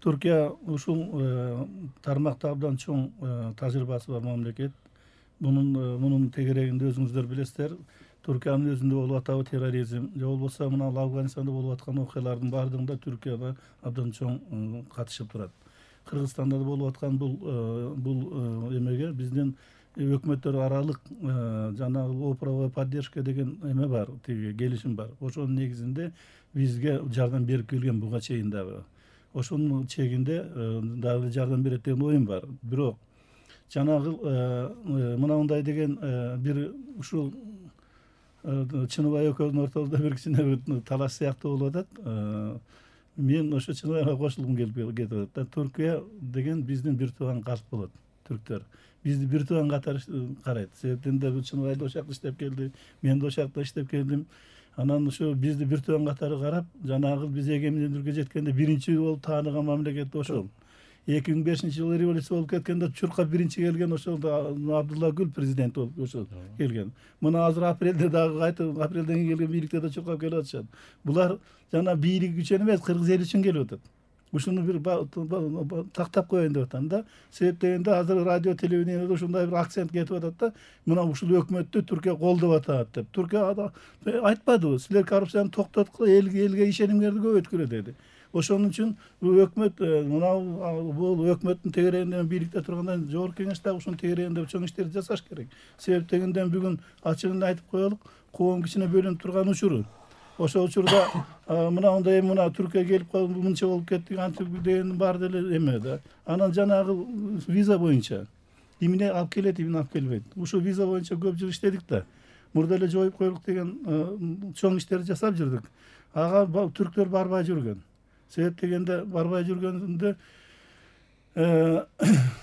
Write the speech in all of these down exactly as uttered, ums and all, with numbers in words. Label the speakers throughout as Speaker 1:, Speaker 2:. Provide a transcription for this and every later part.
Speaker 1: Түркия ушул тармакта абдан чоң тажрыйбасы бар мамлекет. Мунун мунун тегерегинде өзүңүздөр билесиздер. Түркиянын өзүндө болуп атабы терроризм, же болбосо мына Афганистанда болуп аткан окуялардын баардыгында Түркияда абдан чоң катышып турат. Кыргызстанда да болуп аткан бул бул эмеге биздин өкмөттөр аралык жанагы правовая поддержка деген эме бар, тиги келишим бар. Ошонун негизинде бизге жардам берип келген буга чейин дагы. Ошонун чегинде дагы жардам берет деген оюм бар. Бирок жанагы мынандай деген бир ушул Чыныбай экөөбүздүн ортобузда бир кичине бир талаш сыяктуу болуп атат. Мен ошо Чыныбайга кошулгум келип кетип атат. Түркия деген биздин бир тууган калк болот, түрктөр. Бизди бир тууган катары карайт. Себептен да Чыныбай да ошол жакта иштеп келди, мен да ошол жакта иштеп келдим. Анан ошо бизди бир тууган катары карап, жанагы биз эгемендүүлүккө жеткенде биринчи болуп тааныган мамлекет ошол. эки миң бешинчи жылы революция болуп кеткенде чуркап биринчи келген ошол Абдулла Гүл президент болуп ошол келген. Мына азыр апрелде дагы кайтып апрелден кийин келген бийликте да чуркап келип атышат. Булар жана бийлик үчүн эмес, кыргыз эли үчүн келип атат. Ушуну бир тактап коеюн деп атам да. Себеп дегенде азыр радио телевидениеде ушундай бир акцент кетип атат да. Мына ушул өкмөттү Түркия колдоп атат деп. Түркия айтпадыбы, силер коррупцияны токтоткула, элге элге ишенимдерди көбөйткүлө деди. Ошон үчүн өкмөт мына бул өкмөттүн тегерегинде бийликте турганда жогорку кеңеш дагы ушунун тегерегинде чоң иштерди жасаш керек. Себеп дегенде бүгүн ачыгын айтып коелук, коом кичине бөлүнүп турган учуру. Ошол учурда мынандай мына Түркия келип калып мынча болуп кеттик антип деген бар деле эме да. Анан жанагы виза боюнча эмне алып келет, эмне алып келбейт. Ушул виза боюнча көп жыл иштедик да. Мурда эле жоюп коелук деген чоң иштерди жасап жүрдүк. Ага түрктөр барбай жүргөн. Себеп дегенде барбай жүргөндө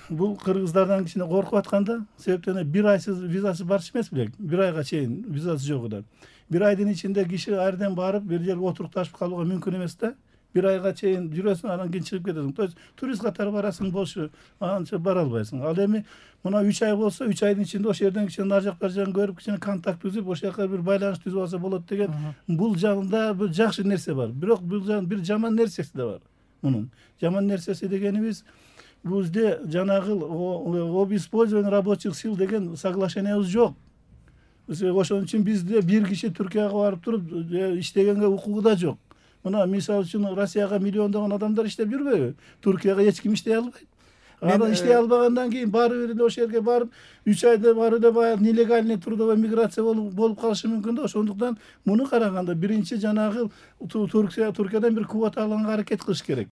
Speaker 1: бул кыргыздардан кичине коркуп атканда, себептен бир айсыз визасы барчу эмес белек, бир айга чейин визасы жок да. Бир айдын ичинде киши айрдан барып, бир жерге отурукташып калууга мүмкүн эмес да. Бир айга чейин жүрөсүң, анан кийин чыгып кетесиң. То есть турист катары барасың, бош анча бара албайсың. Ал эми мына үч ай болсо, үч айдын ичинде ошол жерден кичине нар жак бар жагын көрүп, кичине контакт түзүп, ошол жака бир байланыш түзүп алса болот деген бул жагында бир жакшы нерсе бар. Бирок бул бир жаман нерсеси да бар. Мунун жаман нерсеси дегенибиз бизде жанагы об использовании рабочих сил деген соглашениябыз жок. Ошон үчүн бизде бир киши Түркияга барып туруп иштегенге укугу да жок. Мына мисалы үчүн Россияга миллиондогон адамдар иштеп жүрбөйбү? Түркияга эч ким иштей албайт. Анан иштей албагандан кийин барып эле ошол жерге барып үч айда барып эле баягы нелегальный трудовая миграция болуп болуп калышы мүмкүн да. Ошондуктан муну караганда биринчи жанагы Туркия Туркиядан бир квота алганга аракет кылыш керек.